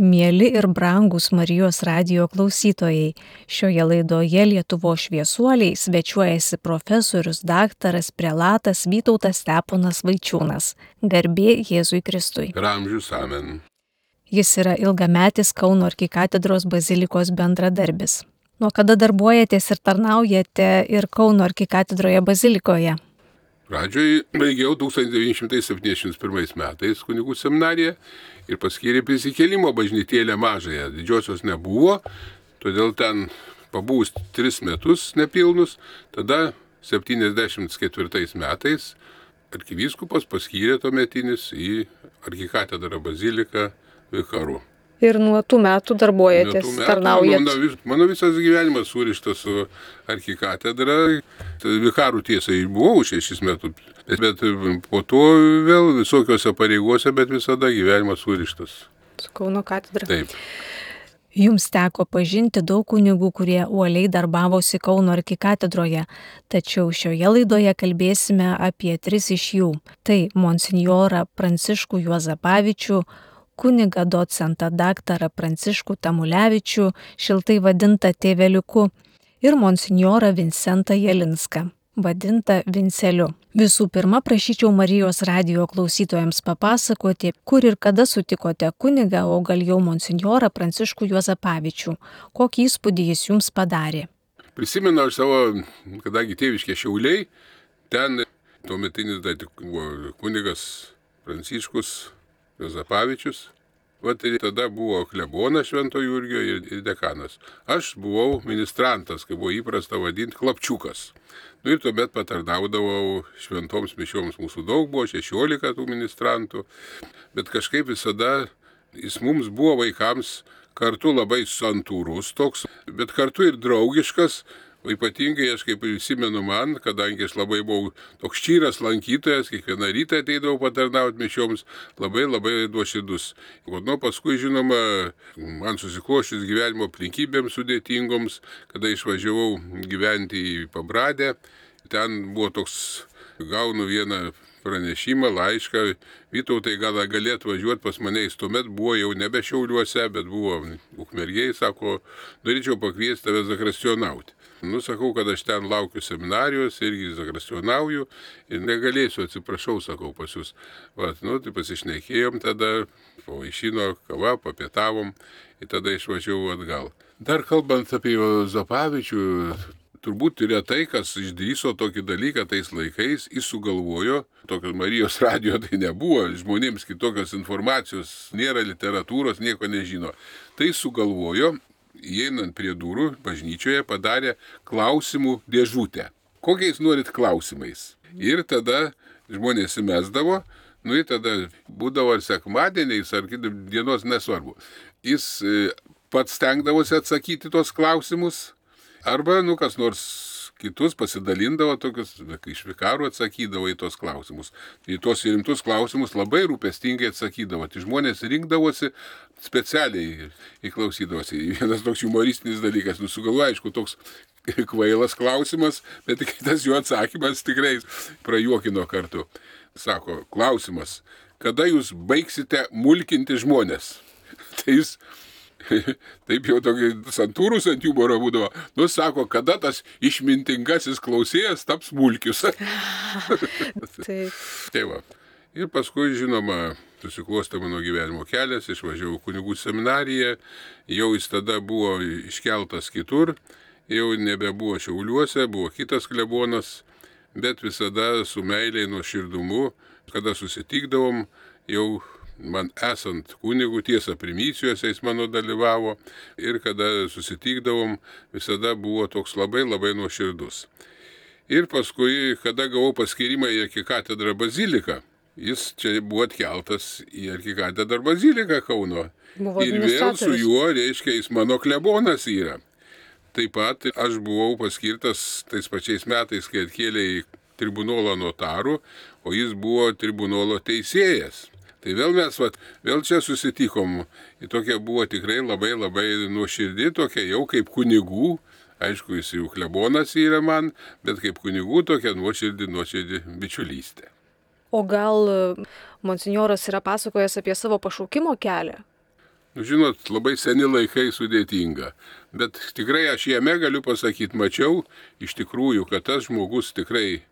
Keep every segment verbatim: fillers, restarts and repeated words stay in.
Mieli ir brangūs Marijos radijo klausytojai, šioje laidoje Lietuvos šviesuoliai svečiuojasi profesorius daktaras prelatas Vytautas Steponas Vaičiūnas. Garbė Jėzui Kristui. Per amžius amen. Jis yra ilgametis Kauno arkikatedros bazilikos bendradarbis. Nuo kada darbuojatės ir tarnaujate ir Kauno arkikatedroje bazilikoje? Pradžioj baigiau tūkstantis devyni šimtai septyniasdešimt pirmais metais kunigų seminariją ir paskyrė prisikėlimo bažnytėlę mažąją. Didžiosios nebuvo, todėl ten pabuvus tris metus nepilnus, tada septyniasdešimt ketvirtais metais arkivyskupas paskyrė tuometinis į arkikatedrą baziliką vikaru. Ir nuo tų metų darbuojatės, Nuo tų metų tarnaujat. Mano, vis- mano visas gyvenimas surištas su arkikatedra. Tai vikarų tiesa ir buvau šešis metus, bet, bet po to vėl visokiose pareigose, bet visada gyvenimas surištas. Su Kauno katedra. Taip. Jums teko pažinti daug kunigų, kurie uoliai darbavosi Kauno arkikatedroje, tačiau šioje laidoje kalbėsime apie tris iš jų. Tai monsinjorą Pranciškų Juozapavičių, kunigą docentą daktarą Pranciškų Tamulevičių, šiltai vadintą tėveliuku, ir monsinjorą Vincentą Jelinską, vadintą Vinceliu. Visų pirma, prašyčiau Marijos radijo klausytojams papasakoti, kur ir kada sutikote kunigą, o gal jau monsinjorą Pranciškų Juozapavičių. Kokį įspūdį jis jums padarė? Prisimenu aš savo, kadangi tėviškė Šiauliai, ten tuometinis dar tik buvo kunigas Pranciškus Juozapavičius. Vat ir tada buvo klebonas Švento Jurgio ir ir dekanas. Aš buvau ministrantas, kaip buvo įprasta vadinti, klapčiukas. Nu ir tuomet patarnaudavau šventoms mišioms. Mūsų daug buvo, šešiolika tų ministrantų. Bet kažkaip visada jis mums buvo vaikams kartu labai santūrus toks, bet kartu ir draugiškas. O ypatingai aš kaip prisimenu man, kadangi aš labai buvau toks ščyras lankytojas, kiekvieną rytą ateidavau patarnauti mišioms, labai labai nuoširdus. O nu, paskui, žinoma, man susikloščius gyvenimo aplinkybėms sudėtingoms, kada išvažiavau gyventi į Pabradę, ten buvo toks, gaunu vieną pranešimą, laišką, Vytautai gal galėtų važiuoti pas mane, jis tuomet buvo jau nebe Šiauliuose, bet buvo Ukmergėj, sako, norėčiau pakviesti tave zakrastionauti. Nu, sakau, kad aš ten laukiu seminarijos, irgi zakrastionauju ir negalėsiu, atsiprašau, sakau, pas jūs. Vat, nu, tai pasišnekėjom tada, pavaišino kava, papietavom ir tada išvažiavau atgal. Dar kalbant apie Juozapavičių, turbūt retai, kas išdrįso tokį dalyką tais laikais, jis sugalvojo, tokios Marijos radijo tai nebuvo, žmonėms kitokios informacijos, nėra literatūros, nieko nežino. Tai sugalvojo, įeinant prie durų, bažnyčioje padarė klausimų dėžutę. Kokiais norit klausimais? Ir tada žmonės įmesdavo, nu ir tada būdavo ar sekmadieniais, ar kitų dienos, nesvarbu. Jis e, pats stengdavosi atsakyti tos klausimus, arba, nu, kas nors kitus pasidalindavo tokius, iš vikarų atsakydavo į tos klausimus. Į tos rimtus klausimus labai rūpestingai atsakydavo. Tai žmonės rinkdavosi, specialiai įklausydavosi. Vienas toks humoristinis dalykas, nu, sugalvoja, aišku, toks kvailas klausimas, bet tas jų atsakymas tikrai prajuokino kartu. Sako, klausimas, kada jūs baigsite mulkinti žmonės? Tai jis taip jau tokį santūrus ant humoro būdavo. Nu, sako, kada tas išmintingasis klausėjas taps mulkius. Taip. Tai va. Ir paskui, žinoma, susiklostė mano gyvenimo kelias, išvažiavau kunigų seminariją, jau jis tada buvo iškeltas kitur, jau nebebuvo Šiauliuose, buvo kitas klebonas, bet visada su meiliai nuoširdumu, kada susitikdavom, jau man esant kunigų, tiesa, primicijose jis mano dalyvavo ir kada susitikdavom, visada buvo toks labai labai nuoširdus. Ir paskui, kada gavau paskyrimą į arkikatedrą baziliką, jis čia buvo atkeltas į arkikatedrą baziliką Kauno. Buvo Ir vėl su administratorius. juo, reiškia, jis mano klebonas yra. Taip pat aš buvau paskirtas tais pačiais metais, kai atkėlė į tribunolą notarų, o jis buvo tribunolo teisėjas. Tai vėl mes, vat, vėl čia susitikom. Ir tokia buvo tikrai labai labai nuoširdi, tokia jau kaip kunigų. Aišku, jis jau klebonas yra man, bet kaip kunigų tokia nuoširdi, nuoširdi bičiulystė. O gal monsinjoras yra pasakojęs apie savo pašaukimo kelią? Nu, žinot, labai seni laikai sudėtinga. Bet tikrai aš jame galiu pasakyti, mačiau iš tikrųjų, kad tas žmogus tikrai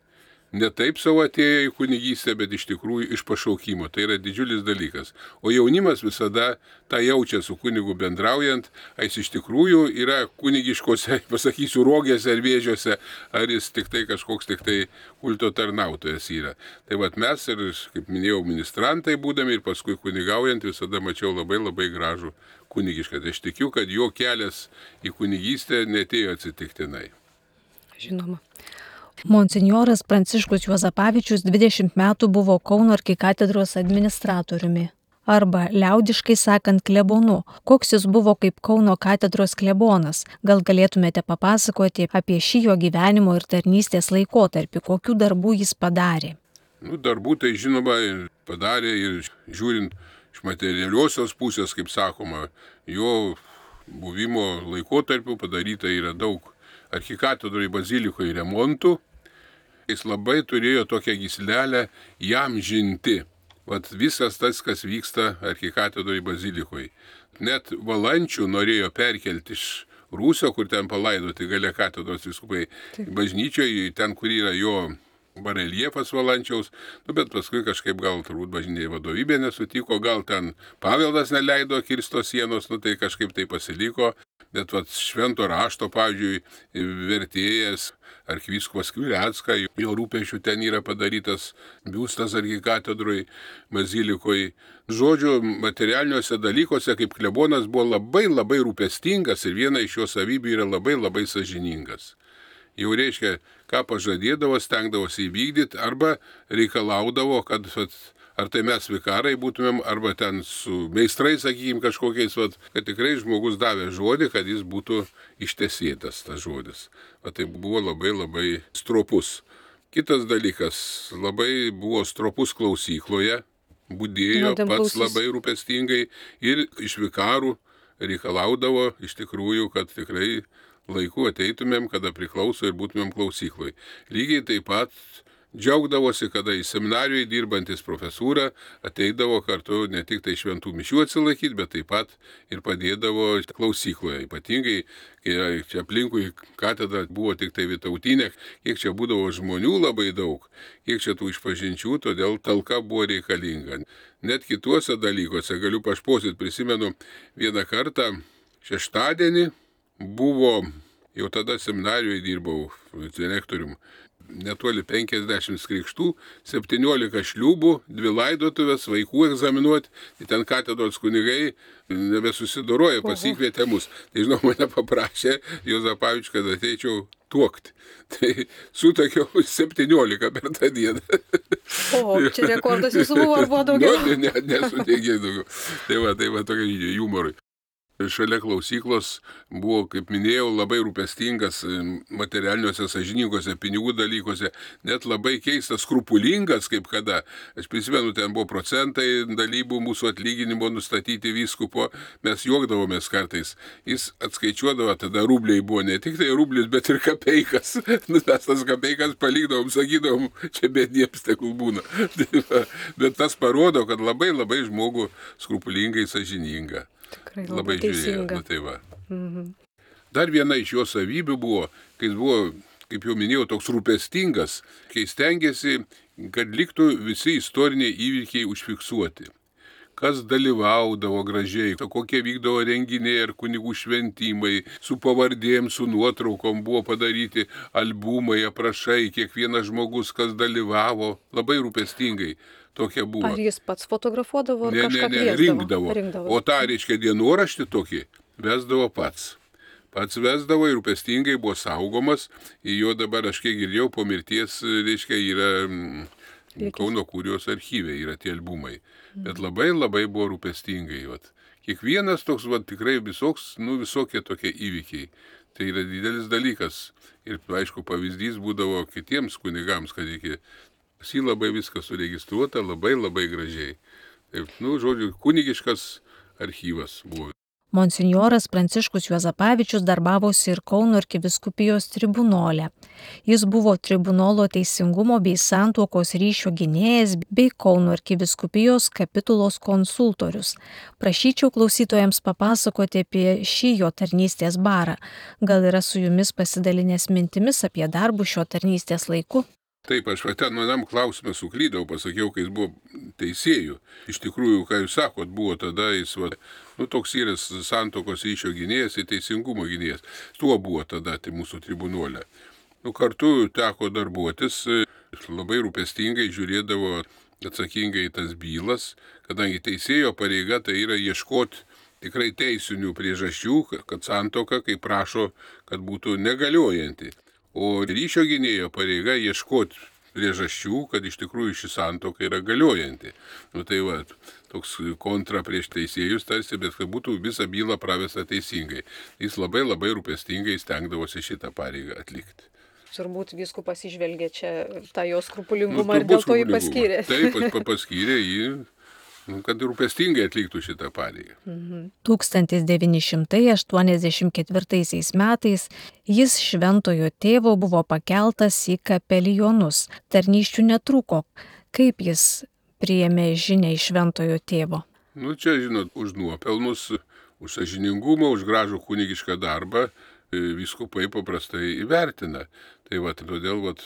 ne taip savo atėjo į kunigystę, bet iš tikrųjų iš pašaukimo. Tai yra didžiulis dalykas. O jaunimas visada tą jaučia su kunigu bendraujant, ar jis iš tikrųjų yra kunigiškose, pasakysiu, rogėse ar vėžiuose, ar jis tik tai kažkoks tik tai kulto tarnautojas yra. Tai vat mes ir, kaip minėjau, ministrantai būdami ir paskui kunigaujant visada mačiau labai labai gražų kunigišką. Tai aš tikiu, kad jo kelias į kunigystę netėjo atsitiktinai. Žinoma. Monsinjoras Pranciškus Juozapavičius dvidešimt metų buvo Kauno arkikatedros administratoriumi, arba liaudiškai sakant klebonu. Koks jis buvo kaip Kauno katedros klebonas? Gal galėtumėte papasakoti apie šį jo gyvenimo ir tarnystės laikotarpį, kokių darbų jis padarė? Nu, darbų tai žinoma padarė ir žiūrint iš materialiosios pusės, kaip sakoma, jo buvimo laikotarpiu padaryta yra daug arkikatedroje bazilikoje remontų. Jis labai turėjo tokią gyslelę jam žinti. Vat visas tas, kas vyksta arkikatedroje bazilikoje. Net Valančių norėjo perkelti iš Rūsio, kur ten palaidoti gale katedros vyskupai, bažnyčioje, ten, kur yra jo bareljefas Valančiaus, nu, bet paskui kažkaip gal turbūt bažnyčiai vadovybė nesutiko, gal ten paveldas neleido kirsto sienos, nu tai kažkaip tai pasiliko. Bet vat švento rašto, pavyzdžiui, vertėjas arkivyskupas Skvirecka, jo rūpesčių ten yra padarytas biustas arkikatedroj bazilikoje. Žodžiu, materialiniuose dalykuose kaip klebonas buvo labai labai rūpestingas ir viena iš jo savybių yra labai labai sąžiningas. Jau reiškia, ką pažadėdavo, stengdavosi įvykdyti arba reikalaudavo, kad vat, ar tai mes vikarai būtumėm, arba ten su meistrais, sakykime, kažkokiais, vat, kad tikrai žmogus davė žodį, kad jis būtų ištesėtas tas žodis. O tai buvo labai labai stropus. Kitas dalykas, labai buvo stropus klausykloje, budėjo pats klausys. Labai rūpestingai ir iš vikarų reikalaudavo iš tikrųjų, kad tikrai laiku ateitumėm, kada priklauso ir būtumėm klausykloje. Lygiai taip pat džiaugdavosi, kada į seminarijoje dirbantis profesūra ateidavo kartu ne tik tai šventų mišių atsilaikyti, bet taip pat ir padėdavo klausykloje. Ypatingai, kai čia aplinkui katedra buvo tik tai Vytautinė, kiek čia būdavo žmonių labai daug, kiek čia tų išpažinčių, todėl talka buvo reikalinga. Net kituose dalykuose galiu pašposyti, prisimenu vieną kartą šeštadienį buvo, jau tada seminarijoje dirbau direktorium, netoli penkiasdešimt krikštų, septyniolika šliūbų, dvi laidotuvės, vaikų egzaminuoti, tai ten katedros kunigai nebesusidoroja, pasikvietė mus. Tai žinau, mane paprašė Juozapavičius, kad ateičiau tuokti. Tai sutakiau septyniolika per tą dieną. O, čia rekordas jūsų buvo, ar buvo daugiau? Nu, ne, nesuteikė daugiau. Tai va, tai va, tokia humorui. Šalia klausyklos buvo, kaip minėjau, labai rūpestingas materialiniuose, sąžiningose, pinigų dalykuose, net labai keistas, skrupulingas, kaip kada. Aš prisimenu, ten buvo procentai dalybų mūsų atlyginimo nustatyti vyskupo, mes juokdavomės kartais. Jis atskaičiuodavo, tada rubliai buvo ne tik tai rublis, bet ir kapeikas. Mes tas kapeikas palikdavom, sakydavom, čia bediems tegul būna. Bet tas parodo, kad labai labai žmogų skrupulingai sąžininga. Tikrai labai, labai žiūrėjo, teisinga. nu tai va. Mhm. Dar viena iš jo savybių buvo, kai jis buvo, kaip jau minėjau, toks rūpestingas, kai stengiasi, kad liktų visi istoriniai įvykiai užfiksuoti. Kas dalyvaudavo gražiai, kokie vykdavo renginiai ar kunigų šventimai, su pavardėm, su nuotraukom buvo padaryti albumai, aprašai, kiekvienas žmogus, kas dalyvavo, labai rūpestingai. Tokia buvo. Ar jis pats fotografuodavo ar ne, kažką ne, ne, kviesdavo? rinkdavo. rinkdavo. O tą, reiškia, dienoraštį tokį vesdavo pats. Pats vesdavo ir rūpestingai buvo saugomas. Ir jo dabar, aš kiek girdėjau, po mirties, reiškia, yra mm, Kauno kurijos archyve, yra tie albumai. Mm. Bet labai labai buvo rūpestingai. Vat. Kiekvienas toks, vat, tikrai visoks, nu, visokie tokie įvykiai. Tai yra didelis dalykas. Ir, aišku, pavyzdys būdavo kitiems kunigams, kad iki jį labai viskas suregistruota, labai labai gražiai. Taip, nu, žodžiu, kunigiškas archyvas buvo. Monsinjoras Pranciškus Juozapavičius darbavosi ir Kauno arkivyskupijos tribunole. Jis buvo tribunolo teisingumo bei santuokos ryšio gynėjas bei Kauno arkivyskupijos kapitulos konsultorius. Prašyčiau klausytojams papasakoti apie šį jo tarnystės barą. Gal yra su jumis pasidalinęs mintimis apie darbus šio tarnystės laiku? Taip, aš va ten manam klausimą suklydau, pasakiau, kai jis buvo teisėjų. Iš tikrųjų, ką jūs sakot, buvo tada jis, va, nu, toks yra santuokos ryšio gynėjas ir teisingumo gynėjas. Tuo buvo tada tai mūsų tribunolė. Nu, kartu teko darbuotis, labai rūpestingai žiūrėdavo atsakingai į tas bylas, kadangi teisėjo pareiga tai yra ieškoti tikrai teisinių priežasčių, kad santuoka, kaip prašo, kad būtų negaliojanti. O ryšio gynėjo pareiga ieškoti priežasčių, kad iš tikrųjų ši santuoka yra galiojanti. Nu tai va, toks kontra prieš teisėjus tarsi, bet kad būtų visą bylą pravesta teisingai. Jis labai labai rūpestingai stengdavosi šitą pareigą atlikti. Turbūt vyskupas išvelgė čia tą jo skrupulingumą nu, ir dėl to jį paskyrė. Taip, paskyrė jį, kad rūpestingai atliktų šitą pareigą. tūkstantis devyni šimtai aštuoniasdešimt ketvirtaisiais metais jis šventojo tėvo buvo pakeltas į kapelionus. Tarnysčių netrūko. Kaip jis priėmė žinią iš šventojo tėvo? Nu čia, žinot, už nuopelnus, už sąžiningumą, už gražų kunigišką darbą vyskupai paprastai įvertina. Tai va, todėl va,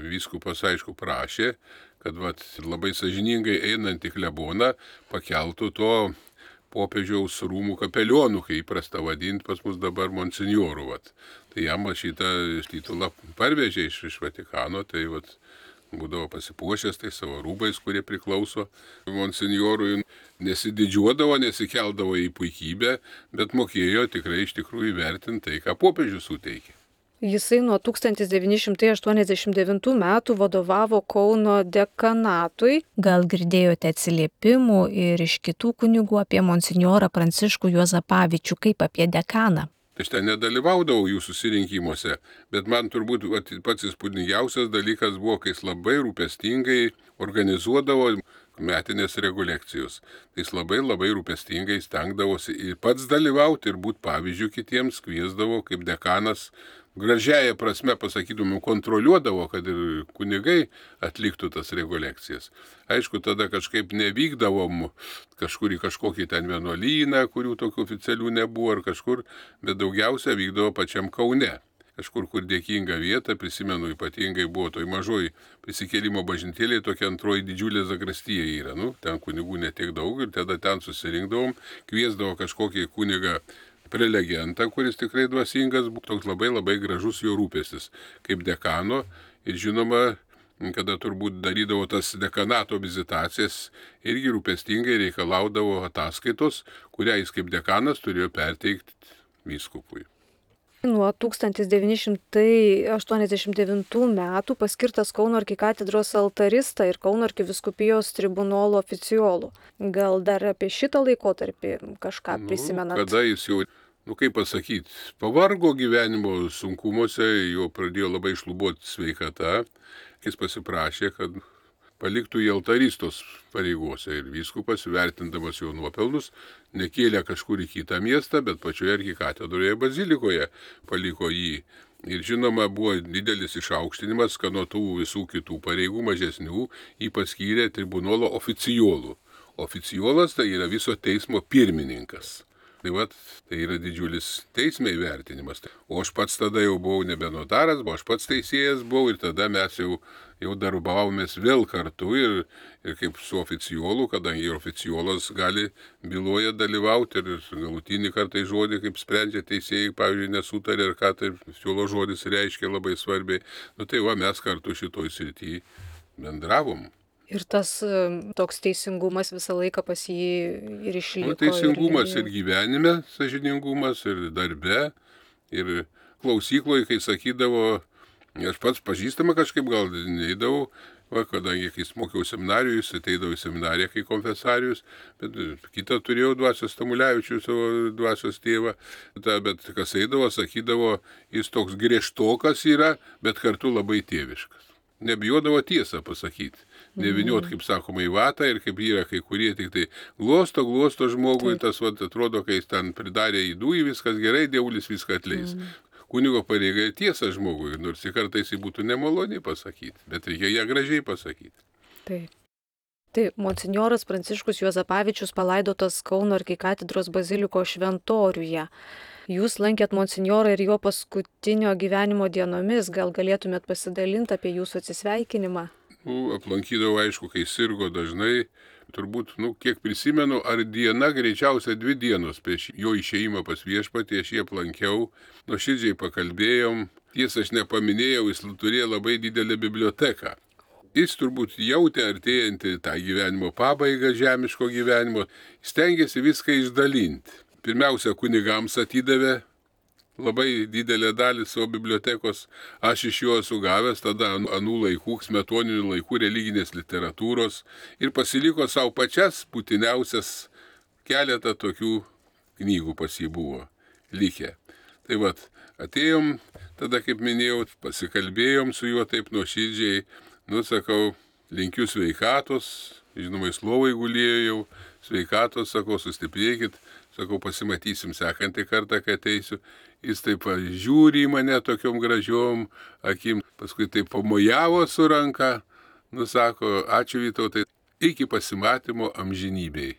vyskupas aišku prašė, kad vat, labai sąžiningai einant į kleboną pakeltų to popiežiaus rūmų kapelionų, kai įprasta vadinti pas mus dabar monsinjorų. Vat. Tai jam šitą titulą parvežė iš, iš Vatikano, tai vat, būdavo pasipuošęs tai savo rūbais, kurie priklauso monsinjorui. Nesididžiuodavo, nesikeldavo į puikybę, bet mokėjo tikrai iš tikrųjų įvertinti tai, ką popiežius suteikė. Jisai nuo tūkstantis devyni šimtai aštuoniasdešimt devintų metų vadovavo Kauno dekanatui. Gal girdėjote atsiliepimų ir iš kitų kunigų apie monsinjorą Pranciškų Juozapavičių, kaip apie dekaną? Aš ten nedalyvaudavau jų susirinkimuose, bet man turbūt pats įspūdingiausias dalykas buvo, kai jis labai rūpestingai organizuodavo metinės rekolekcijos. Tai jis labai labai rūpestingai stengdavosi ir pats dalyvauti ir būti pavyzdžių kitiems, kviesdavo kaip dekanas. Gražiaja prasme, pasakytumėm, kontroliuodavo, kad ir kunigai atliktų tas rekolekcijas. Aišku, tada kažkaip nevykdavom kažkur į kažkokį ten vienuolyną, kurių tokių oficialių nebuvo ar kažkur, bet daugiausia vykdavo pačiam Kaune. Kažkur, kur dėkinga vieta, prisimenu, ypatingai buvo toj mažoj prisikėlimo bažnytėlėje, tokia antroji didžiulė zakrastija yra. Nu, ten kunigų netiek daug ir tada ten susirinkdavom, kviesdavo kažkokį kunigą prelegentą, kuris tikrai dvasingas, toks labai labai gražus jo rūpestis, kaip dekano. Ir žinoma, kada turbūt darydavo tas dekanato vizitacijas, irgi rūpestingai reikalaudavo ataskaitos, kurią jis kaip dekanas turėjo perteikti vyskupui. Nuo tūkstantis devyni šimtai aštuoniasdešimt devintų metų paskirtas Kauno arkikatedros altarista ir Kauno arkivyskupijos tribunolo oficiolų. Gal dar apie šitą laikotarpį kažką nu, prisimenat? Kada jis jau, nu kaip pasakyti, pavargo gyvenimo sunkumuose, jo pradėjo labai šlubuoti sveikata, jis pasiprašė, kad paliktų į altaristos pareigose ir vyskupas, vertindamas jo nuopelnus, nekėlė kažkur į kitą miestą, bet pačioje arkikatedroje bazilikoje paliko jį. Ir žinoma, buvo didelis išaukštinimas, kad nuo tų visų kitų pareigų mažesnių jį paskyrė tribunolo oficiolų. Oficiolas tai yra viso teismo pirmininkas. Tai, vat, tai yra didžiulis teisme įvertinimas. O aš pats tada jau buvau nebe notaras, o aš pats teisėjas buvau ir tada mes jau, jau darbavomės vėl kartu ir, ir kaip su oficiolu, kadangi oficiolas gali byloje dalyvauti ir galutinį kartą žodį, kaip sprendžia teisėjai, pavyzdžiui, nesutarė ir ką tai oficiolo žodis reiškia labai svarbiai. Nu tai va, mes kartu šitoj srity bendravom. Ir tas toks teisingumas visą laiką pas jį ir išliko. Nu, teisingumas ir, ir gyvenime, sąžiningumas ir darbe. Ir klausykloje, kai sakydavo, aš pats pažįstama kažkaip gal neįdavau, va, kadangi kai mokiau seminarijų, jis ateidavo į seminariją kai konfesarius, bet kitą turėjau dvasios Tamulevičių, savo dvasios tėvą, ta, bet kas eidavo, sakydavo, jis toks griežtokas yra, bet kartu labai tėviškas. Nebijodavo tiesą pasakyti. neviniot, kaip sakoma, į vatą ir kaip yra kai kurie tik tai glosto, glosto žmogui, Taip. tas vat, atrodo, kai jis ten pridarė įdų, viskas gerai, dievulis viską atleis. Mm. Kunigo pareiga tiesa žmogui, nors ir kartais jį būtų nemaloniai pasakyti, bet reikia ją gražiai pasakyti. Taip. Tai monsinjoras Pranciškus Juozapavičius palaidotas Kauno arkikatedros baziliko šventoriuje. Jūs lankėt monsinjorą ir jo paskutinio gyvenimo dienomis, gal galėtumėt pasidalinti apie jūsų atsisveikinimą? Nu, aplankydavau, aišku, kai sirgo dažnai, turbūt, nu, kiek prisimenu, ar diena, greičiausiai dvi dienos prieš jo išėjimą pas viešpatį, aš jį aplankiau, nuoširdžiai pakalbėjom, tiesa, aš nepaminėjau, jis turėjo labai didelę biblioteką. Jis turbūt jautė artėjantį tą gyvenimo pabaigą, žemiško gyvenimo, stengiasi viską išdalinti. Pirmiausia, kunigams atidavė labai didelę dalį savo bibliotekos, aš iš jo esu gavęs tada anų laikų, smetoninių laikų religinės literatūros ir pasiliko savo pačias būtiniausias keletą tokių knygų pas jį buvo likę. Tai vat, atėjom, tada, kaip minėjau, pasikalbėjom su juo taip nuoširdžiai, nu, sakau, linkiu sveikatos, žinoma, jis lovai gulėjo jau, sveikatos, sakau, sustiprėkit, sakau, pasimatysim sekantį kartą, kai ateisiu. Jis taip žiūri į mane tokiom gražiom akim, paskui taip pamojavo su ranka, nu, sako, ačiū Vytautai, iki pasimatymo amžinybei.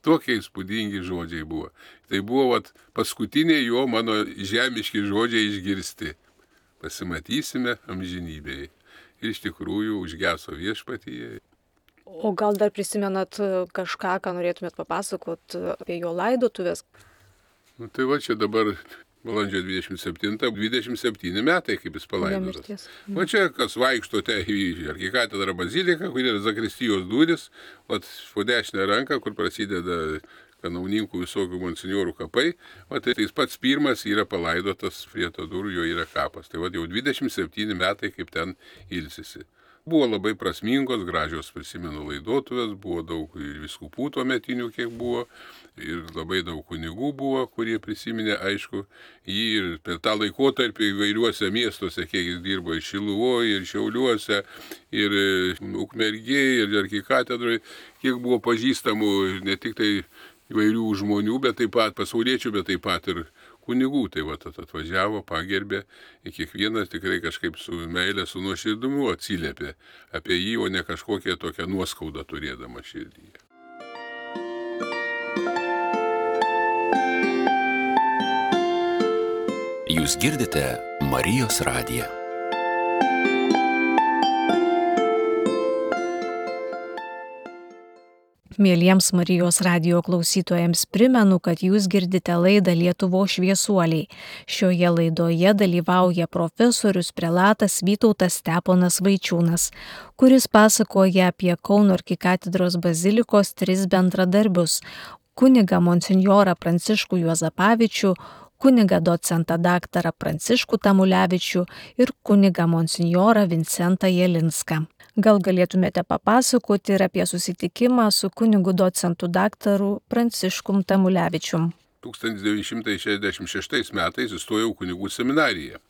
Tokie įspūdingi žodžiai buvo. Tai buvo vat, paskutiniai jo mano žemiški žodžiai išgirsti. Pasimatysime amžinybei. Ir iš tikrųjų užgeso viešpatyje. O gal dar prisimenat kažką, ką norėtumėt papasakot apie jo laidotuvės? Nu, tai va čia dabar balandžio dvidešimt septinta, dvidešimt septyni metai, kaip jis palaidotas. Va čia, kas vaikštote į arkikatedrą baziliką, kur yra zakristijos durys, va po dešinę ranką, kur prasideda kanauninkų visokių monsinjorų kapai, va tai jis pats pirmas yra palaidotas prie to durų, jo yra kapas. Tai va jau dvidešimt septyni metai, kaip ten ilsisi. Buvo labai prasmingos, gražios, prisimenu, laidotuvės, buvo daug ir vyskupų tuo metinių, kiek buvo, ir labai daug kunigų buvo, kurie prisiminė, aišku, jį ir per tą laikotarpį įvairiuose miestuose, kiek jis dirbo ir Šiluvoje, ir Šiauliuose, ir Ukmergėje, ir arkikatedroje, kiek buvo pažįstamų ne tik tai įvairių žmonių, bet taip pat pasauliečių, bet taip pat ir kunigų. Tai va, atvažiavo, pagerbė, ir kiekvienas tikrai kažkaip su meilė, su nuoširdumu atsiliepė apie jį, o ne kažkokią tokią nuoskaudą turėdama širdyje. Jūs girdite Marijos radiją. Mieliems Marijos radijo klausytojams primenu, kad jūs girdite laidą Lietuvos šviesuoliai. Šioje laidoje dalyvauja profesorius prelatas Vytautas Steponas Vaičiūnas, kuris pasakoja apie Kauno arkikatedros bazilikos tris bendradarbius – kunigą monsinjorą Pranciškų Juozapavičių, kunigą docentą daktarą Pranciškų Tamulevičių ir kunigą monsinjorą Vincentą Jelinską. Gal galėtumėte papasakoti ir apie susitikimą su kunigu docentu daktaru Pranciškum Tamulevičium? tūkstantis devyni šimtai šešiasdešimt šeštais metais įstojau kunigų seminariją.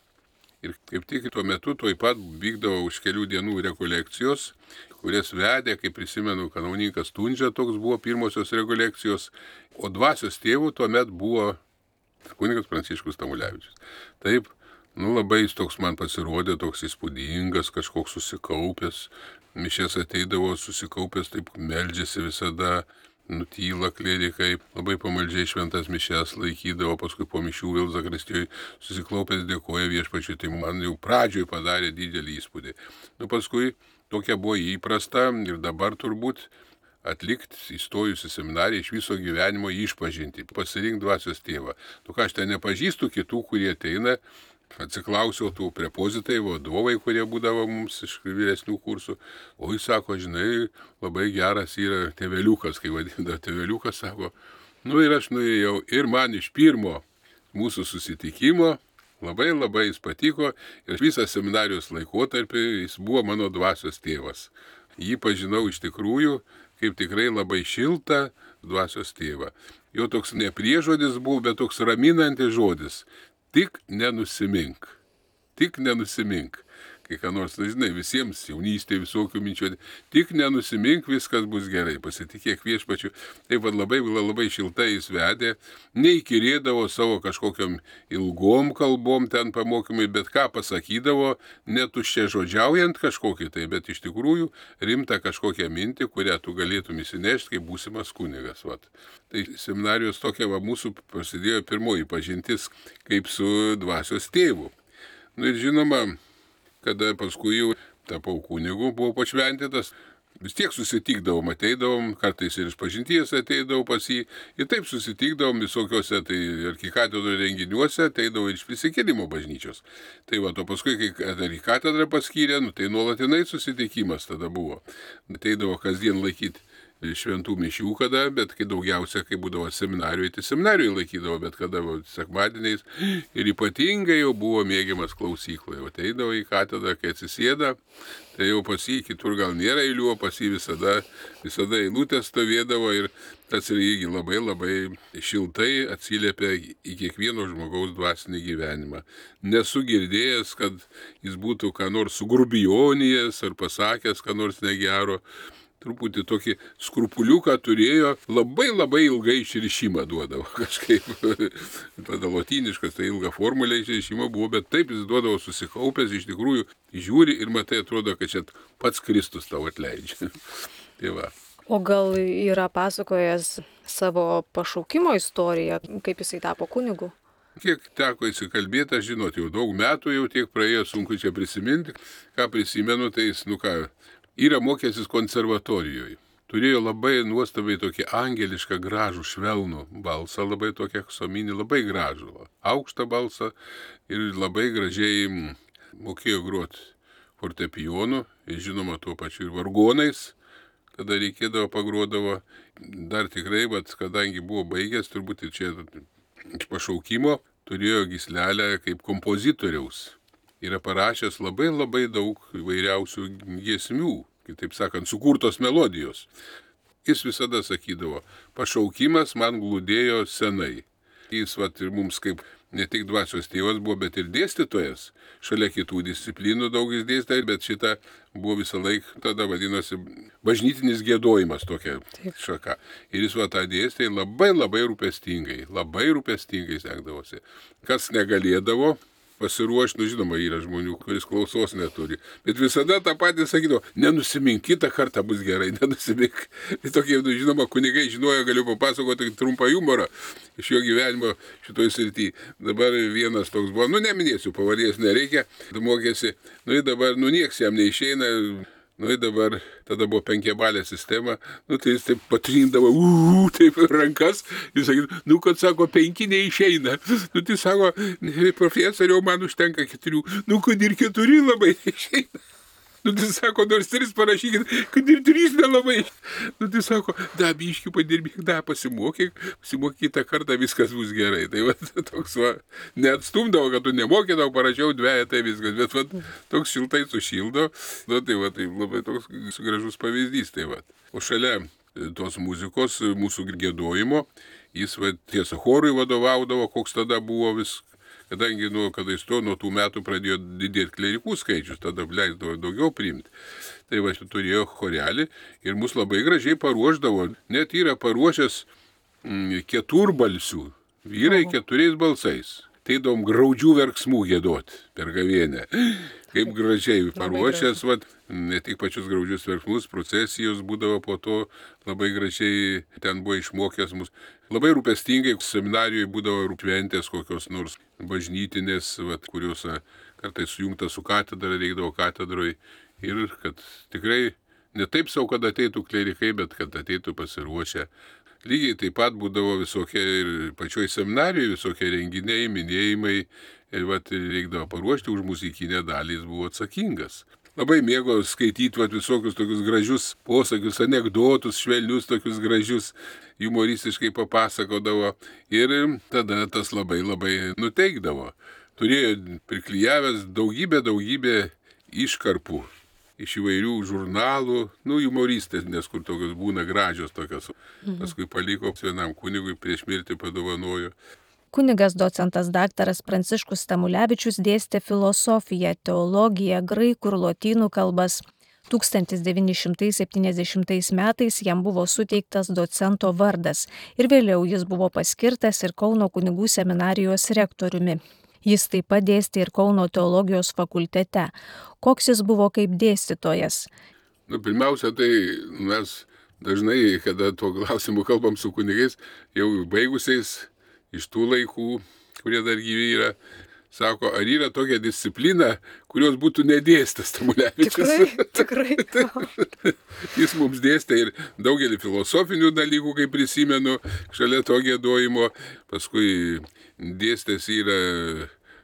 Ir kaip tik tuo metu tuoj pat vykdavo už kelių dienų rekolekcijos, kurias vedė, kaip prisimenu, kanauninkas Tundžia, toks buvo pirmosios rekolekcijos, o dvasios tėvų tuomet buvo kunigas Pranciškus Tamulevičius. Taip, nu labai jis toks man pasirodė, toks įspūdingas, kažkoks susikaupęs, mišės ateidavo susikaupęs, taip meldžiasi visada, nutyla klerikai, labai pamaldžiai šventas mišės laikydavo, paskui po mišių vėl zakristijoje susiklaupęs dėkoja viešpačiui, tai man jau pradžioj padarė didelį įspūdį. Nu paskui tokia buvo įprasta ir dabar turbūt atlikti įstojus į seminariją iš viso gyvenimo išpažinti, pasirinkti dvasios tėvą. Nu ką, aš ten nepažįstu kitų, kurie ateina, atsiklausiau tų prepozitai, vadovai, kurie būdavo mums iš vyresnių kursų. O jis sako, žinai, labai geras yra tėveliukas, kai vadinda tėveliukas, sako, nu ir aš nuėjau ir man iš pirmo mūsų susitikimo labai labai jis patiko ir visą seminarijos laikotarpį jis buvo mano dvasios tėvas. Jį pažinau iš tikrųjų kaip tikrai labai šiltą dvasios tėvą. Jo toks ne priežodis buvo, bet toks raminantis žodis. Tik nenusimink. Tik nenusimink. kai ką nors, na, žinai, visiems jaunystėje visokių minčių, tik nenusimink, viskas bus gerai, pasitikėk viešpačiu. Taip pat labai, labai šiltai jis vedė, neįkirėdavo savo kažkokiam ilgom kalbom ten pamokymai, bet ką pasakydavo, netuščia žodžiaujant kažkokį tai, bet iš tikrųjų rimta kažkokią mintį, kurią tu galėtum įsinešti, kaip būsimas kunigas. Vat. Tai seminarijos tokia va, mūsų prasidėjo pirmoji pažintis kaip su dvasios tėvu. Nu ir žinoma, kada paskui jau tapau kunigu, buvau pašventintas, vis tiek susitikdavom, ateidavom, kartais ir iš pažinties ateidavau pas jį, ir taip susitikdavom visokiuose tai arkikatedro renginiuose, ateidavau iš prisikėlimo bažnyčios. Tai va, o paskui, kai arkikatedrą paskyrė, nu, tai nuolatinai susitikimas tada buvo. Ateidavo kasdien laikyti šventų mišių kada, bet kai daugiausia, kai būdavo seminarijoje, tai seminarijoje laikydavo, bet kada sekmadieniais ir ypatingai jau buvo mėgiamas klausykloje. O ateidavo į katedrą, kai atsisėda, tai jau pas jį kitur gal nėra eilių, o pas jį visada, visada eilutė stovėdavo ir tas irgi labai labai šiltai atsiliepia į kiekvieno žmogaus dvasinį gyvenimą. Nesu girdėjęs, kad jis būtų ką nors sugrubionijęs ar pasakęs, ką nors negero. Truputį tokį skrupuliuką turėjo, labai labai ilgai išrišimą duodavo kažkaip. Tada lotyniškas, tai ilga formulė išrišimo buvo, bet taip jis duodavo susikaupęs, iš tikrųjų žiūri ir matai, atrodo, kad čia pats Kristus tau atleidžia. Tai va. O gal yra pasakojęs savo pašaukimo istoriją, kaip jisai tapo kunigu? Kiek teko įsikalbėti, aš žinot, jau daug metų jau tiek praėjo, sunku čia prisiminti. Ką prisimenu, tai jis, nu ką, yra mokęsis konservatorijoje. Turėjo labai nuostabiai tokį angelišką gražų švelnų balsą, labai tokį aksominį, labai gražų, aukštą balsą ir labai gražiai mokėjo groti fortepijonu, ir žinoma tuo pačiu ir vargonais, kada reikėdavo pagrodavo. Dar tikrai, bet kadangi buvo baigęs, turbūt ir čia iš pašaukimo, turėjo gyslelę kaip kompozitoriaus. Yra parašęs labai labai daug įvairiausių giesmių, kitaip sakant, sukurtos melodijos. Jis visada sakydavo, pašaukimas man glūdėjo senai. Jis vat, ir mums kaip ne tik dvasios tėvas buvo, bet ir dėstytojas. Šalia kitų disciplinų daug jis dėstė, bet šita buvo visą laiką, tada vadinosi bažnytinis giedojimas tokia šaka. Ir jis va tą dėstė labai labai rūpestingai, labai rūpestingai sekdavosi. Kas negalėdavo pasiruošti, nu žinoma, yra žmonių, kuris klausos neturi. Bet visada tą patį sakydavo, nenusimink, kitą kartą bus gerai, nenusimink. Tai tokie, nu, žinoma, kunigai žinojo, galiu papasakoti trumpą humorą iš jo gyvenimo šitoj srity. Dabar vienas toks buvo, nu neminėsiu, pavardės nereikia, mokėsi, nu ir dabar, nu nieks jam neišeina. Nu ir dabar, tada buvo penkiabalė sistema, nu tai jis taip patrindavo, uuu, taip rankas, jis sakė, nu kad sako, penki neišeina, nu tai sako, profesoriau, man užtenka keturių, nu kad ir keturi labai neišeina. Nu tai sako, nors tris parašykit, kad ir trys nelabai. Nu tai sako, da, biškių padirbėk, da, pasimokyk, pasimokyk kitą kartą, viskas bus gerai. Tai va, toks va, neatstumdavo, kad tu nemokydavo, parašiau dveją, tai viskas, bet va, toks šiltai sušildo. Nu tai va, tai labai toks gražus pavyzdys. Tai va. O šalia tos muzikos, mūsų giedojimo, jis va, tiesa chorui vadovaudavo, koks tada buvo vis. Kadangi, nu, kada jis to, nuo tų metų pradėjo didėti klerikų skaičius, tada leisdavo daugiau priimti. Tai va, turėjo chorelį ir mus labai gražiai paruošdavo. Net yra paruošęs mm, keturbalsių, vyrai keturiais balsais. Teidom graudžių verksmų giedoti per gavėnę. Kaip gražiai paruošęs, va, ne tik pačius graudžius verksmus, procesijos būdavo po to, labai gražiai ten buvo išmokęs mus. Labai rūpestingai seminarijoje būdavo rūpventės kokios nors bažnytinės, vat, kurios kartais sujungta su katedra, reikdavo katedroje. Ir kad tikrai ne taip savo, kad ateitų klerikai, bet kad ateitų pasiruošę. Lygiai taip pat būdavo visokie ir pačioj seminarijoje visokie renginiai, minėjimai. Ir vat, reikdavo paruošti už muzikinę dalį, jis buvo atsakingas. Labai mėgo skaityti vat, visokius tokius gražius posakius, anekdotus, švelnius tokius gražius, humoristiškai papasakodavo. Ir tada tas labai labai nuteikdavo. Turėjo priklijavęs daugybę, daugybę iškarpų iš įvairių žurnalų, nu, humoristės, nes kur tokios būna gražios tokios. Paskui paliko vienam kunigui prieš mirtį padovanojo. Kunigas docentas daktaras Pranciškus Stamulevičius dėstė filosofiją, teologiją, graikų ir lotynų kalbas. tūkstantis devyni šimtai septyniasdešimtais metais jam buvo suteiktas docento vardas ir vėliau jis buvo paskirtas ir Kauno kunigų seminarijos rektoriumi. Jis taip pat dėstė ir Kauno teologijos fakultete. Koks jis buvo kaip dėstytojas? Nu, pirmiausia, tai mes dažnai, kada tuo klausimu kalbam su kunigais, jau baigusiais iš tų laikų, kurie dar gyvi yra, sako, ar yra tokia disciplina, kurios būtų nedėstas Stamulevičius. Tikrai, tikrai. Jis mums dėstė ir daugelį filosofinių dalykų, kaip prisimenu, šalia to giedojimo. Paskui dėstęs yra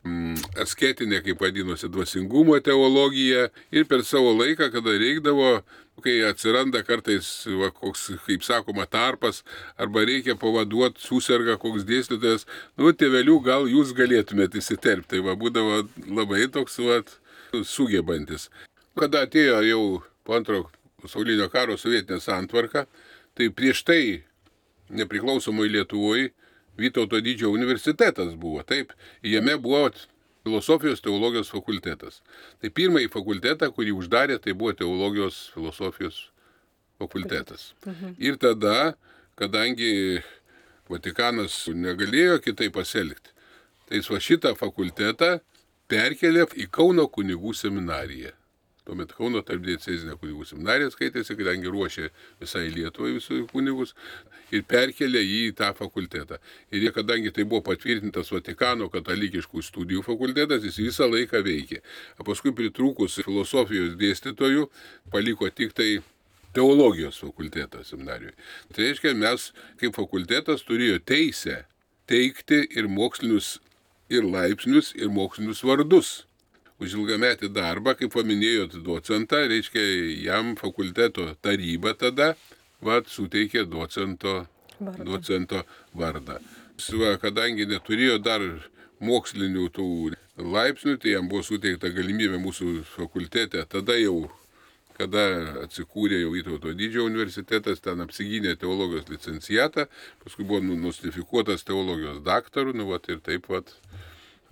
mm, asketinė, kaip vadinosi, dvasingumo teologija. Ir per savo laiką, kada reikdavo, kai atsiranda kartais, va, koks, kaip sakoma, tarpas, arba reikia pavaduoti, susirga koks dėstytojas, nu, tėvelių, gal jūs galėtumėte įsiterpti. Tai va, būdavo labai toks, va, sugebantis. Kada atėjo jau po antro pasaulinio karo sovietinė santvarka, tai prieš tai nepriklausomoj Lietuvoje Vytauto Didžiojo universitetas buvo. Taip, jame buvo filosofijos teologijos fakultetas. Tai pirmąjį fakultetą, kurį uždarė, tai buvo teologijos filosofijos fakultetas. Mhm. Ir tada, kadangi Vatikanas negalėjo kitaip pasielgti, tai jis va šitą fakultetą perkelė į Kauno kunigų seminariją. Tuomet Kauno tarpdiecezinė kunigų seminarija skaitėsi, kadangi ruošė visai Lietuvai visus kunigus ir perkelė jį į tą fakultetą. Ir kadangi tai buvo patvirtintas Vatikano katalikiškų studijų fakultetas, jis visą laiką veikė. O paskui pritrūkus filosofijos dėstytojų paliko tik tai teologijos fakultetą seminarijoje. Tai reiškia, mes kaip fakultetas turėjo teisę teikti ir mokslinius, ir laipsnius, ir mokslinius vardus. Už ilgametį darbą, kaip paminėjot docentą, reiškia, jam fakulteto taryba tada vat, suteikė docento vardą. Docento vardą. Va, kadangi neturėjo dar mokslinių tų laipsnių, tai jam buvo suteikta galimybė mūsų fakultete. Tada jau, kada atsikūrė jau Vytauto Didžiojo universitetas, ten apsigynė teologijos licencijatą, paskui buvo nostrifikuotas teologijos daktaru, nu, vat, ir taip pat.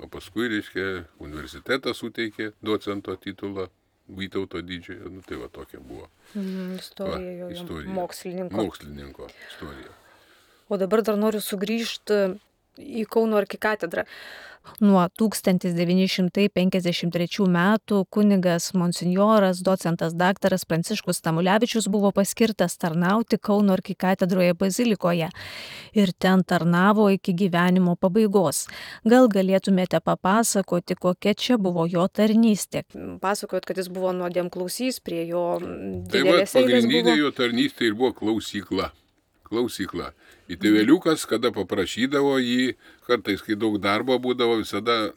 O paskui, reiškia, universitetas suteikė docento titulą Vytauto Didžiojo, nu tai va tokia buvo. Mm, istorija, va, istorija. Mokslininko. Mokslininko istorija. O dabar dar noriu sugrįžti į Kauno arkikatedrą. Nuo tūkstantis devyni šimtai penkiasdešimt trečių metų kunigas monsinjoras, docentas daktaras Pranciškus Stamulevičius buvo paskirtas tarnauti Kauno arkikatedroje bazilikoje ir ten tarnavo iki gyvenimo pabaigos. Gal galėtumėte papasakoti, kokia čia buvo jo tarnystė? Pasakojot, kad jis buvo nuodėmklausys, prie jo didelės eilės buvo. Tai pagrindinė jo tarnystė ir buvo klausykla. Klausykla. Į tėveliukas, kada paprašydavo jį, kartais, kai daug darbo būdavo, visada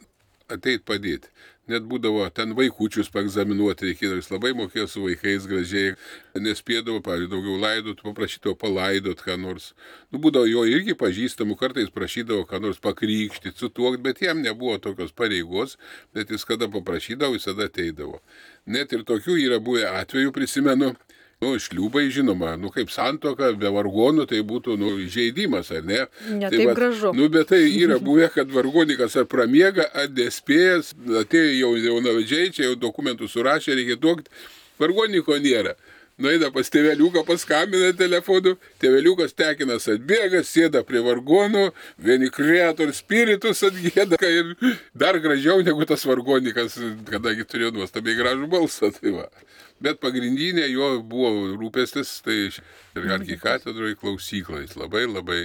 ateit padėti. Net būdavo ten vaikučius paegzaminuoti reikėdavo, jis labai mokėjo su vaikais gražiai, nespėdavo, pavyzdžiui, daugiau laidot, paprašydavo palaidot ką nors. Nu, būdavo jo irgi pažįstamų, kartais prašydavo ką nors pakrykštyti, sutuokti, bet jam nebuvo tokios pareigos, bet jis kada paprašydavo, visada ateidavo. Net ir tokių yra buvę atvejų, prisimenu. Nu, šliūbai, žinoma, nu, kaip santuoka, be vargonų, tai būtų, nu, žaidimas, ar ne? Ne, tai taip va, gražu. Nu, bet tai yra buvę, kad vargonikas ar pramiega, ar nespėjęs, atėjo jau jaunavedžiai, čia jau dokumentų surašė, reikia duokti, vargoniko nėra. Nueina pas tėveliuką, paskambina telefonu, tėveliukas tekinas atbėga, sėda prie vargonų, vieni Creator Spiritus atgėda ir dar gražiau negu tas vargonikas, kadangi turėjo nuostabiai gražų balsą. Tai va. Bet pagrindinė jo buvo rūpestis, tai ir arkikatedroje klausykla, jis labai labai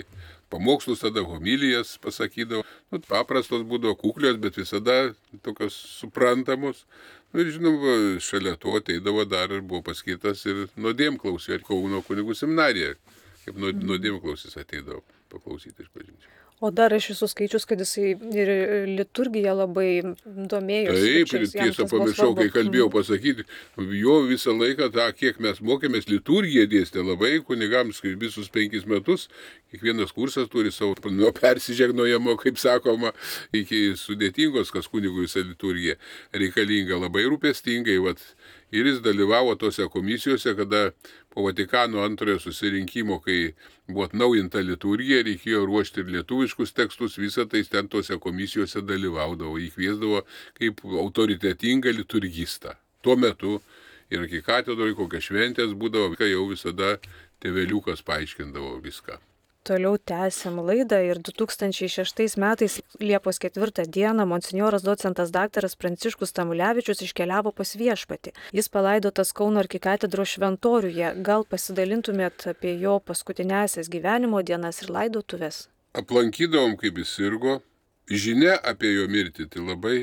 pamokslus tada, homilijas pasakydavo, nu, paprastos būdavo kuklios, bet visada tokios suprantamos. Nu, ir žinoma, šalia to ateidavo dar ir buvo paskirtas ir nuodėmklausys, Kauno kunigų seminarija, kaip nuodėmklausys ateidavo paklausyti iš pažinčių. O dar aš esu skaičius, kad jisai ir liturgiją labai domėjosi. Taip, ir tiesą pamiršau, kai kalbėjau pasakyti, jo visą laiką, tą, kiek mes mokėmės, liturgiją dėstė labai kunigams visus penkis metus. Kiekvienas kursas turi savo nuo persižegnojamo, kaip sakoma, iki sudėtingos, kas kunigui visą liturgiją reikalinga, labai rūpestingai. Vat, Ir jis dalyvavo tose komisijose, kada po Vatikano antrojo susirinkimo, kai buvo atnaujinta liturgija, reikėjo ruošti ir lietuviškus tekstus, visą tai ten tose komisijose dalyvaudavo, jį kviesdavo kaip autoritetingą liturgistą. Tuo metu ir arkikatedroje kokios šventės būdavo, kai jau visada tėveliukas paaiškindavo viską. Toliau tęsiam laidą ir du tūkstančiai šeštais metais Liepos ketvirtą dieną monsinjoras docentas daktaras Pranciškus Tamulevičius iškeliavo pas Viešpatį. Jis palaidotas Kauno arkikatedros šventoriuje. Gal pasidalintumėt apie jo paskutinėsias gyvenimo dienas ir laidotuves? Aplankydavom, kaip jis sirgo. Žinia apie jo mirtį tai labai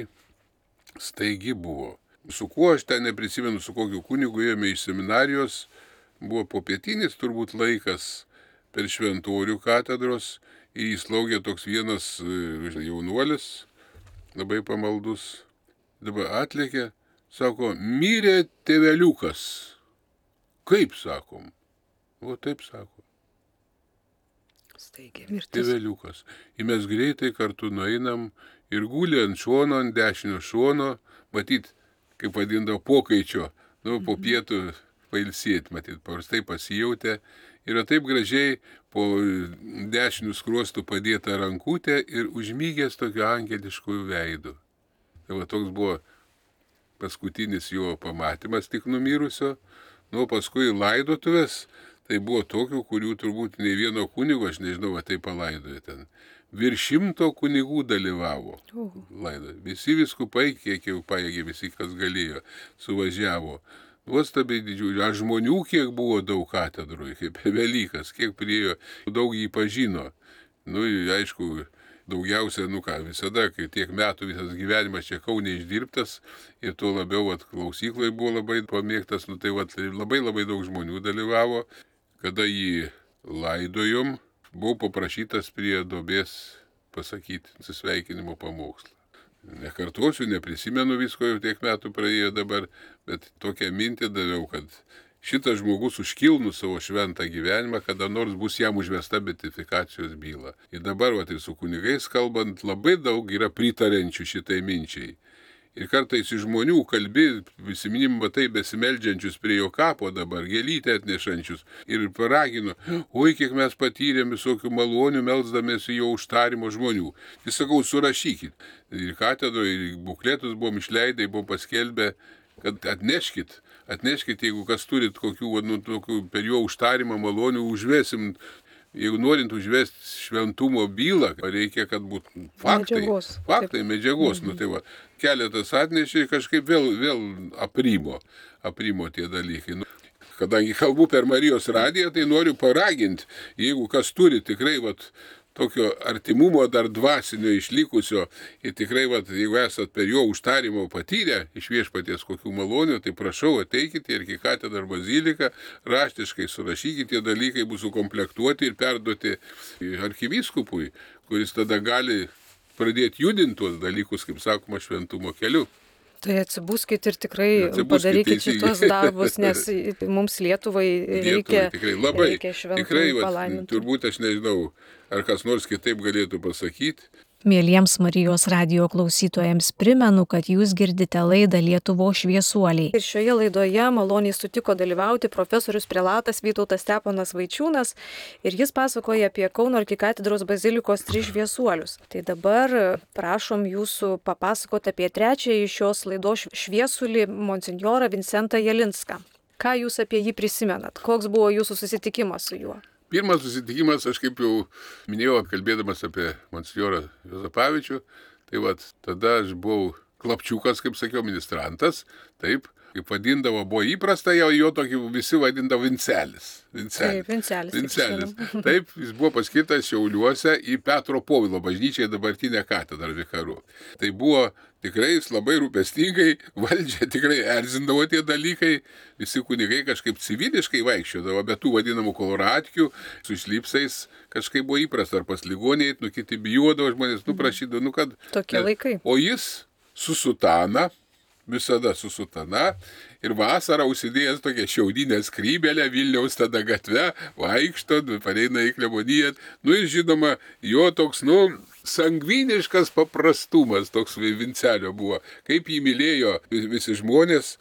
staigi buvo. Su kuo aš ten neprisimenu, su kokiu kunigu ėjome iš seminarijos, buvo popietinis turbūt laikas. Per šventorių katedros įslaugė toks vienas jaunuolis, labai pamaldus. Dabar atlėkė, sako, mirė tėveliukas. Kaip sakom? O taip sako. Staigiai mirtis. Tėveliukas. Ir mes greitai kartu nueinam ir gulė ant šono, ant dešinio šono, matyt, kaip vadindavo, pokaičio, nu, po pietų pailsėti, matyt, paprastai pasijautė. Yra taip gražiai po dešinių skruostų padėta rankutė ir užmygęs tokiu angelišku veidu. Tai va toks buvo paskutinis jo pamatymas tik numirusio. Nu, paskui laidotuvės, tai buvo tokių, kurių turbūt nei vieno kunigo, aš nežinau, va tai palaidojo ten. Virš šimto kunigų dalyvavo laidoje. Visi viskupai, kiek jau pajėgė, visi, kas galėjo, suvažiavo. Nuostabiai didžiuliai, aš žmonių kiek buvo daug katedroje, kaip Velykas, kiek priėjo, daug jį pažino. Nu, aišku, daugiausia, nu ką, visada, kai tiek metų visas gyvenimas čia Kaune išdirbtas ir tuo labiau, vat, klausyklai buvo labai pamėgtas, nu tai vat, labai labai daug žmonių dalyvavo. Kada jį laidojom, buvau paprašytas prie duobės pasakyti atsisveikinimo pamokslą. Nekartosiu, neprisimenu visko, jau tiek metų praėjo dabar, bet tokią mintį daviau, kad šitas žmogus užkilnų savo šventą gyvenimą, kada nors bus jam užvesta beatifikacijos byla. Ir dabar, va, tai su kunigais kalbant, labai daug yra pritarenčių šitai minčiai. Ir kartais iš žmonių kalbi, prisiminim, matai, besimeldžiančius prie jo kapo dabar, gėlytę atnešančius. Ir paragino, oi, kiek mes patyrėm visokių malonių, melsdamėsi jo užtarimo žmonių. Tai sakau, surašykit. Ir katedroje, ir bukletus buvom išleidę, buvom paskelbę, kad atneškit. Atneškit, jeigu kas turit kokių, nu, tokių per jo užtarimą malonių, užvesim. Jeigu norint užvesti šventumo bylą, reikia, kad būtų faktai, medžiagos. faktai, medžiagos. Mhm. Nu, tai va, keletas atnešė ir kažkaip vėl, vėl aprimo, aprimo tie dalykai. Nu, kadangi kalbu per Marijos radiją, tai noriu paraginti, jeigu kas turi tikrai vat, tokio artimumo dar dvasinio išlikusio ir tikrai, vat, jeigu esat per jo užtarimo patyrę iš Viešpaties kokių malonių, tai prašau ateikite ir į katedrą ar baziliką, raštiškai surašykite, tie dalykai bus sukomplektuoti ir perduoti arkivyskupui, kuris tada gali pradėti judinti tuos dalykus, kaip sakoma, šventumo keliu. Tai atsibuskit ir tikrai Atsibuskit padarykit teisingai. šitos darbus, nes mums Lietuvai reikia, Lietuvai, tikrai, labai, reikia šventų tikrai, vat, palaimintų. turbūt aš nežinau, ar kas nors kitaip galėtų pasakyti. Mieliems Marijos radijo klausytojams primenu, kad jūs girdite laidą Lietuvos šviesuoliai. Ir šioje laidoje maloniai sutiko dalyvauti profesorius prelatas Vytautas Steponas Vaičiūnas ir jis pasakoja apie Kauno arkikatedros bazilikos tris šviesuolius. Tai dabar prašom jūsų papasakoti apie trečiąjį šios laidos šviesulį monsinjorą Vincentą Jalinską. Ką jūs apie jį prisimenat? Koks buvo jūsų susitikimas su juo? Pirmas susitikimas, aš kaip jau minėjau, kalbėdamas apie monsinjorą Juozapavičių, tai vat, tada aš buvau klapčiukas, kaip sakiau, ministrantas, taip, kaip vadindavo, buvo įprasta, jau jo tokį visi vadindavo Vincelis. Vincelis. Taip, Vincelis. Vincelis. Taip, jis buvo paskirtas Šiauliuose į Petro Povilo bažnyčią, dabartinę katedrą vikaru. Tai buvo tikrai jis labai rūpestingai, valdžia tikrai erzindavo tie dalykai, visi kunigai kažkaip civiliškai vaikščiodavo, bet tų vadinamų koloratkių su šlipsais kažkaip buvo įprasta, ar pas ligoniai, nu kiti bijodavo, žmonės nuprašydavo, nu kad... Tokie laikai. O jis su sutana, visada su sutana, ir vasarą užsidėjęs tokią šiaudinę skrybelę Vilniaus tada gatve, vaikšto, pareina į kleboniją. Nu ir žinoma, jo toks, nu, sangviniškas paprastumas toks Vincelio buvo. Kaip jį mylėjo visi žmonės,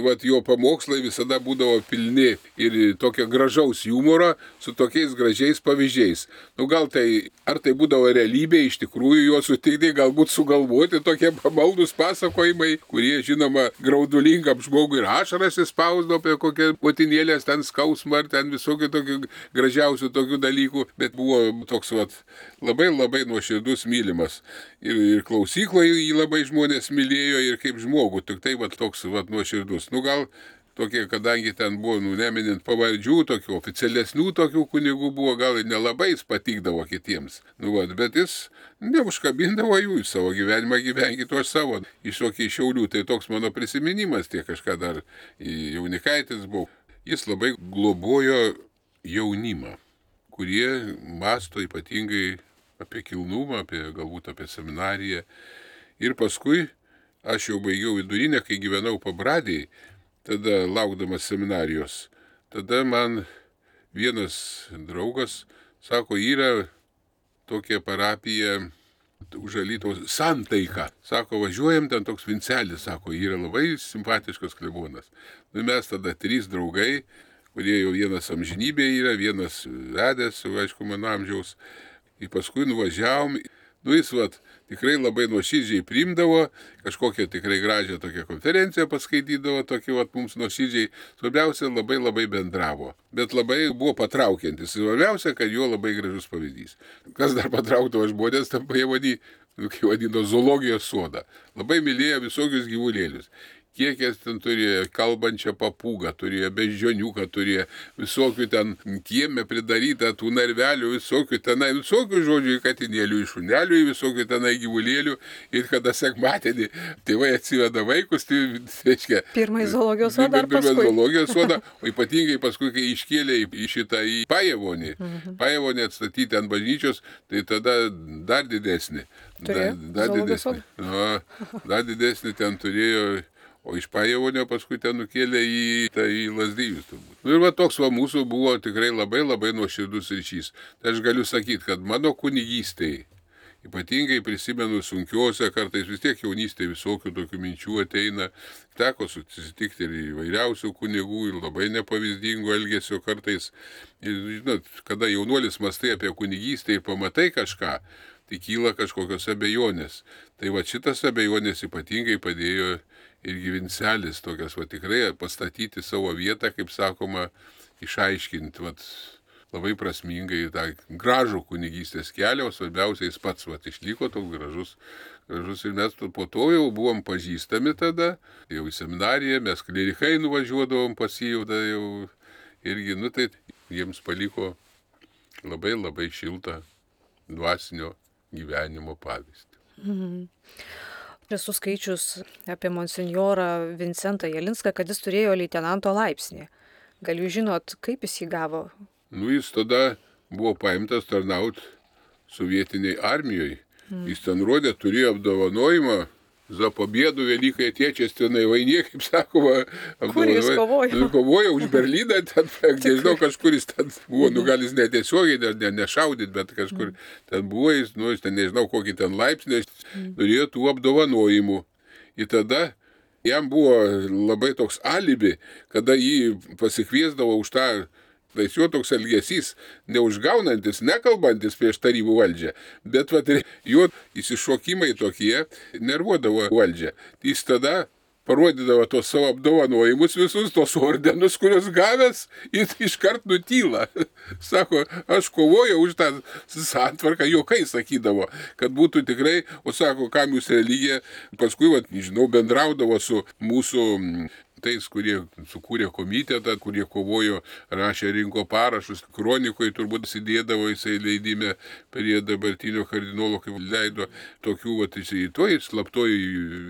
vat jo pamokslai visada būdavo pilni ir tokio gražaus humoro su tokiais gražiais pavyzdžiais. Nu gal tai, ar tai būdavo realybė, iš tikrųjų jo sutikti, galbūt sugalvoti tokie pamaldus pasakojimai, kurie žinoma graudulingam žmogui ir ašaras įspausdavo apie kokią motinėlės ten skausmą ar ten visokių tokių gražiausių tokių dalykų, bet buvo toks vat labai labai nuoširdus mylimas. Ir, ir klausykloje jį labai žmonės mylėjo ir kaip žmogų, tik tai vat toks vat nuoširdus. Nu gal tokie, kadangi ten buvo, nu, neminint pavardžių, tokių oficialesnių tokių kunigų buvo, gal ir nelabai jis patikdavo kitiems. Nu, vat, bet jis neužkabindavo jų į savo gyvenimą, gyvenkit aš savo. Iš tokiai Šiaulių, tai toks mano prisiminimas, tie kažką dar jaunikaitis buvo. Jis labai globojo jaunimą, kurie masto ypatingai apie kilnumą, apie, galbūt apie seminariją. Ir paskui aš jau baigiau vidurinę, kai gyvenau Pabradėj, tada laukdamas seminarijos. Tada man vienas draugas sako, yra tokia parapija už Alytaus Santaika. Sako, važiuojam, ten toks Vincelis, sako, yra labai simpatiškas klebonas. Nu, mes tada trys draugai, kurie jau vienas amžinybė yra, vienas vedęs, aišku, mano amžiaus. Ir paskui nuvažiavom, nu jis vat, tikrai labai nuoširdžiai priimdavo, kažkokią tikrai gražią tokią konferenciją paskaitydavo, tokį vat mums nuoširdžiai, svarbiausia labai labai bendravo, bet labai buvo patraukiantis, svarbiausia, kad jo labai gražus pavyzdys. Kas dar patraukdavo žmonės, tam pajavadį, nu, kai vadino zoologijos sodą, labai mylėjo visokius gyvulėlius. Kiek jis ten turėjo kalbančią papūgą, turėjo beždžioniuką, turėjo visokių ten kieme pridarytą tų narvelių, visokių tenai, visokių žodžių į katinėlių, į šunelių, į visokių tenai gyvulėlių. Ir kada sekmadienį tėvai atsiveda vaikus, tai reiškia... Pirmąjį zoologijos sodą ar paskui? Pirmąjį zoologijos sodą, o ypatingai paskui, kai iškėlė į šitą į Pajevonį, mhm. Pajevonį atstatyti ant bažnyčios, tai tada dar didesnį. Turėjo? Dar, dar didesnį. No, dar didesnį ten turėjo... O iš Pajevonio paskui ten nukėlė į, tai, į Lazdijus turbūt. Nu ir va toks va mūsų buvo tikrai labai labai nuoširdus ryšys. Tai aš galiu sakyti, kad mano kunigystėje, ypatingai prisimenu sunkiuose, kartais vis tiek jaunystėje visokių tokių minčių ateina, teko susitikti ir įvairiausių kunigų ir labai nepavyzdingų elgesio kartais. Ir žinot, kada jaunuolis mąstai apie kunigystę ir pamatai kažką, tai kyla kažkokios abejonės. Tai va šitas abejonės ypatingai padėjo irgi Vincelis, tokias va tikrai pastatyti savo vietą, kaip sakoma, išaiškinti vat, labai prasmingai tą gražų kunigystės kelią, o svarbiausia jis pats vat, išliko toks gražus, gražus. Ir mes po to jau buvom pažįstami tada, jau į seminariją, mes klerikai nuvažiuodavom pas jį, jau, jau irgi, nu tai jiems paliko labai labai šiltą dvasinio gyvenimo pavyzdį. Mhm. Esu skaičius apie monsinjorą Vincentą Jelinską, kad jis turėjo leitenanto laipsnį. Gal jūs žinot, kaip jis jį gavo? Nu, jis tada buvo paimtas tarnaut sovietiniai armijoje. Mm. Jis ten rodė, turėjo apdovanojimą za pobėdų Velykai atiečiastinai vainie, kaip sakoma. Kur jis kovojo? Kovojo už Berlyną, ten, nežinau, kažkur jis ten buvo, nu gal jis netiesiogiai, ne, nešaudyt, bet kažkur ten buvo, jis, nu, jis ten nežinau, kokį ten laipsnį, turėjo tų apdovanojimų. Ir tada jam buvo labai toks alibi, kada jį pasikviesdavo už tą, tai jo toks elgesys, neužgaunantis, nekalbantis prieš tarybų valdžią, bet vat, jo įsišokimai tokie nervuodavo valdžią. Jis tada parodydavo tos savo apdovanojimus visus, tos ordenus, kurios gavęs, ir iškart nutyla. Sako, aš kovojau už tą santvarką, juokai sakydavo, kad būtų tikrai, o sako, kam jūs religija, paskui, vat, žinau, bendraudavo su mūsų tais, kurie sukūrė komitetą, kurie kovojo, rašė, rinko parašus, kronikoje turbūt įsidėdavo jisai leidime prie dabartinio kardinolo, kaip leido tokių, vat, jisai toj slaptoj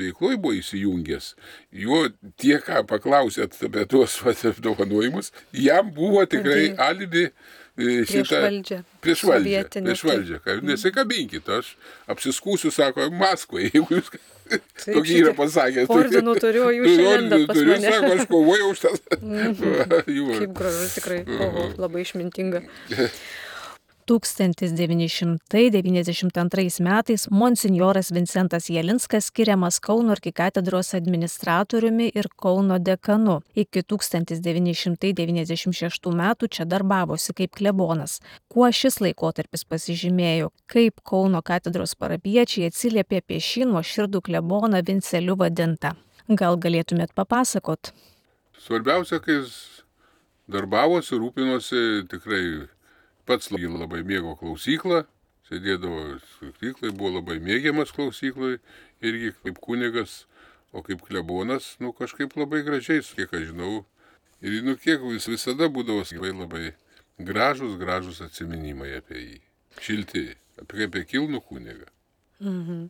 veikloj buvo įsijungęs. Jo tie, ką paklausėt apie tuos apdovanojimus, jam buvo tikrai alibi prieš šitą, valdžią. Prieš valdžią, prieš valdžią. Nesikabinkit, aš apsiskūsiu, sako, Maskvai, jeigu jūs... Tokį yra pasakęs. Ordinų turiu, o jūs šiandien pas turiu, mane. Sako, aš kovojau už tas. Kaip gražu, tikrai. Oho, labai išmintinga. tūkstantis devyni šimtai devyniasdešimt antrais metais monsinjoras Vincentas Jelinskas skiriamas Kauno arkikatedros administratoriumi ir Kauno dekanu. Iki tūkstantis devyni šimtai devyniasdešimt šeštų metų čia darbavosi kaip klebonas. Kuo šis laikotarpis pasižymėjo, kaip Kauno katedros parapiečiai atsiliepė apie šį nuoširdų kleboną Vinceliu vadintą. Gal galėtumėt papasakot? Svarbiausia, kai jis darbavosi, rūpinosi, tikrai pats labai mėgo klausyklą, sėdėdavo klausyklai, buvo labai mėgiamas klausyklai, irgi kaip kunigas, o kaip klebonas, nu kažkaip labai gražiai, kiek aš žinau. Ir nu kiek vis visada būdavo labai labai gražus, gražus atsiminimai apie jį. Šilti, apie, apie kilnų kunigą. Mhm.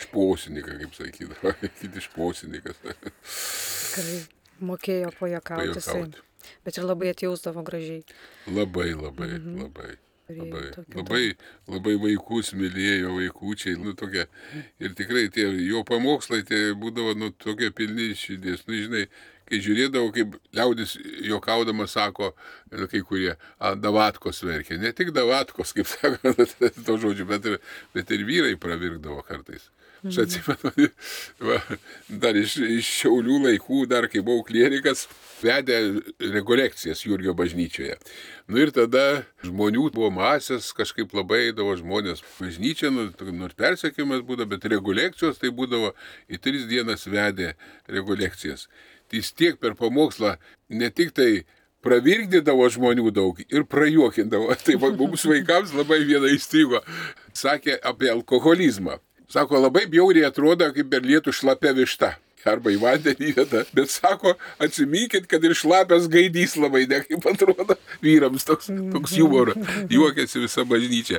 Šposiniką, kaip sakydavo, kiti šposinikas. Tikrai mokėjo pajuokauti. Pajuokauti. Bet ir labai atjausdavo gražiai. Labai, labai, Mhm. labai. Turėjo Labai, tokį labai, labai vaikus mylėjo, vaikučiai, nu tokie, ir tikrai tie jo pamokslai tie būdavo, nu, tokie pilni širdies, nu, žinai, kai žiūrėdavo, kaip liaudis juokaudamas sako, nu, kai kurie, a, davatkos verkė, ne tik davatkos, kaip sako, to žodžiu, bet ir, bet ir vyrai pravirkdavo kartais. Aš atsimenu, va, dar iš, iš Šiaulių laikų, dar kai buvau klierikas, vedė rekolekcijas Jurgio bažnyčioje. Nu ir tada žmonių buvo masės, kažkaip labai eidavo žmonės bažnyčia, nu, nors persekiojimas būdavo, bet rekolekcijos tai būdavo į tris dienas vedė rekolekcijas. Tai jis tiek per pamokslą ne tik tai pravirkdydavo žmonių daug ir prajuokindavo. Tai mums vaikams labai viena įstrigo. Sakė apie alkoholizmą. Sako, labai bjauriai atrodo, kaip per lietų šlapia višta. Arba į vandenį vietą. Bet sako, atsiminkit, kad ir šlapias gaidys labai ne kaip atrodo vyrams. Toks, toks humoro. Juokėsi visa bažnyčia.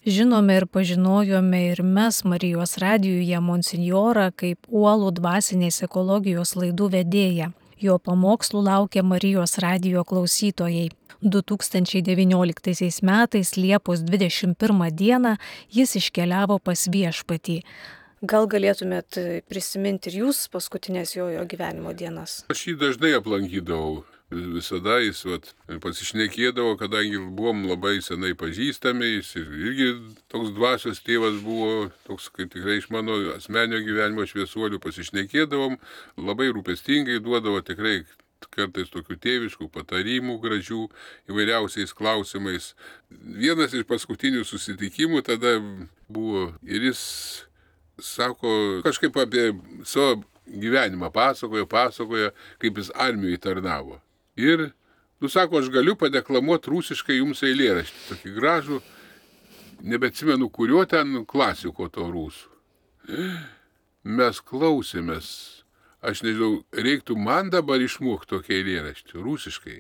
Žinome ir pažinojome ir mes Marijos radijuje monsinjorą kaip uolų dvasinės ekologijos laidų vedėją. Jo pamokslų laukia Marijos radijo klausytojai. du tūkstančiai devynioliktaisiais metais Liepos dvidešimt pirmą dieną jis iškeliavo pas Viešpatį. Gal galėtumėt prisiminti ir jūs paskutinės jo, jo gyvenimo dienas? Aš jį dažnai aplankydavau. Visada jis vat, pasišnekėdavo, kadangi buvom labai senai pažįstami, jis irgi toks dvasios tėvas buvo, toks kaip tikrai iš mano asmenio gyvenimo šviesuolių pasišnekėdavom, labai rūpestingai duodavo tikrai kartais tokių tėviškų patarimų gražių įvairiausiais klausimais. Vienas iš paskutinių susitikimų tada buvo ir jis sako, kažkaip apie savo gyvenimą pasakojo, pasakojo, kaip jis armijoje tarnavo. Ir, nu sako, aš galiu padeklamuoti rusiškai jums eilėraštį, tokį gražų, nebeatsimenu, kurio ten klasiko to rusų. Mes klausėmės, aš nežinau, reiktų man dabar išmokti tokį eilėraštį, rusiškai.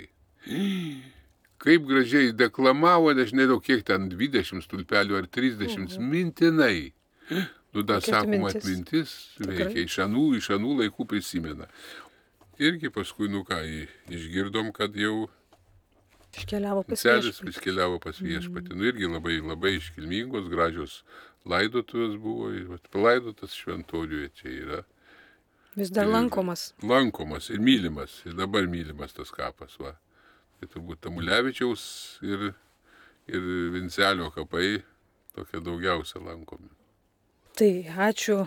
Kaip gražiai deklamavo, aš nežinau, kiek ten dvidešimt stulpelių ar trisdešimt, mhm. mintinai. Nu, dar sakoma, atmintis veikia, iš anų, iš anų laikų prisimena. Irgi paskui, nu ką, išgirdom, kad jau iškeliavo pas Viešpatį. Iškeliavo pas Viešpatį. Mm. Nu, irgi labai, labai iškilmingos, gražios laidotuvės buvo, palaidotas šventoriuje čia yra. Vis dar ir, lankomas. Lankomas ir mylimas, ir dabar mylimas tas kapas, va. Tai turbūt Tamulevičiaus ir, ir Vincelio kapai tokie daugiausia lankomi. Tai ačiū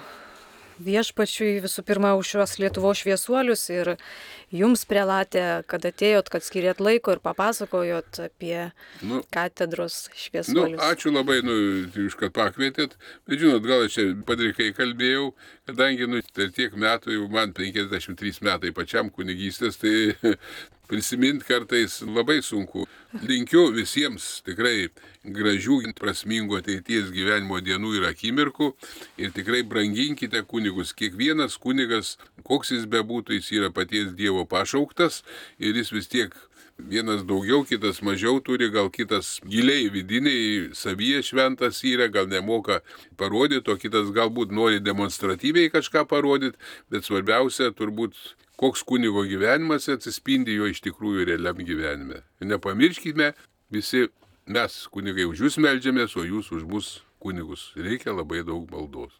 Viešpačiui visų pirma už šios Lietuvos šviesuolius ir jums, prelate, kad atėjot, kad skirėt laiko ir papasakojot apie nu, katedros šviesuolius. Nu, ačiū labai, nu, iš kad pakvietėt, bet žinot, gal aš čia padrikai kalbėjau, kadangi, nu, per tiek metų, jau man penkiasdešimt trys metai pačiam kunigystės, tai prisimint kartais labai sunku. Linkiu visiems tikrai gražių, prasmingų ateities gyvenimo dienų ir akimirkų ir tikrai branginkite kunigus. Kiekvienas kunigas, koks jis bebūtų, jis yra paties Dievo pašauktas ir jis vis tiek vienas daugiau, kitas mažiau turi, gal kitas giliai vidiniai savyje šventas yra, gal nemoka parodyti, o kitas galbūt nori demonstratyviai kažką parodyti, bet svarbiausia turbūt koks kunigo gyvenimas atsispindi jo iš tikrųjų realiam gyvenime. Ir nepamirškime, visi mes kunigai už jūs meldžiamės, o jūs už mus kunigus. Reikia labai daug maldos.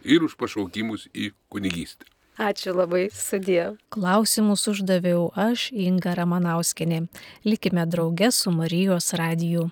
Ir už pašaukimus į kunigystę. Ačiū labai, sudie. Klausimus uždaviau aš, Inga Ramanauskienė. Likime drauge su Marijos radiju.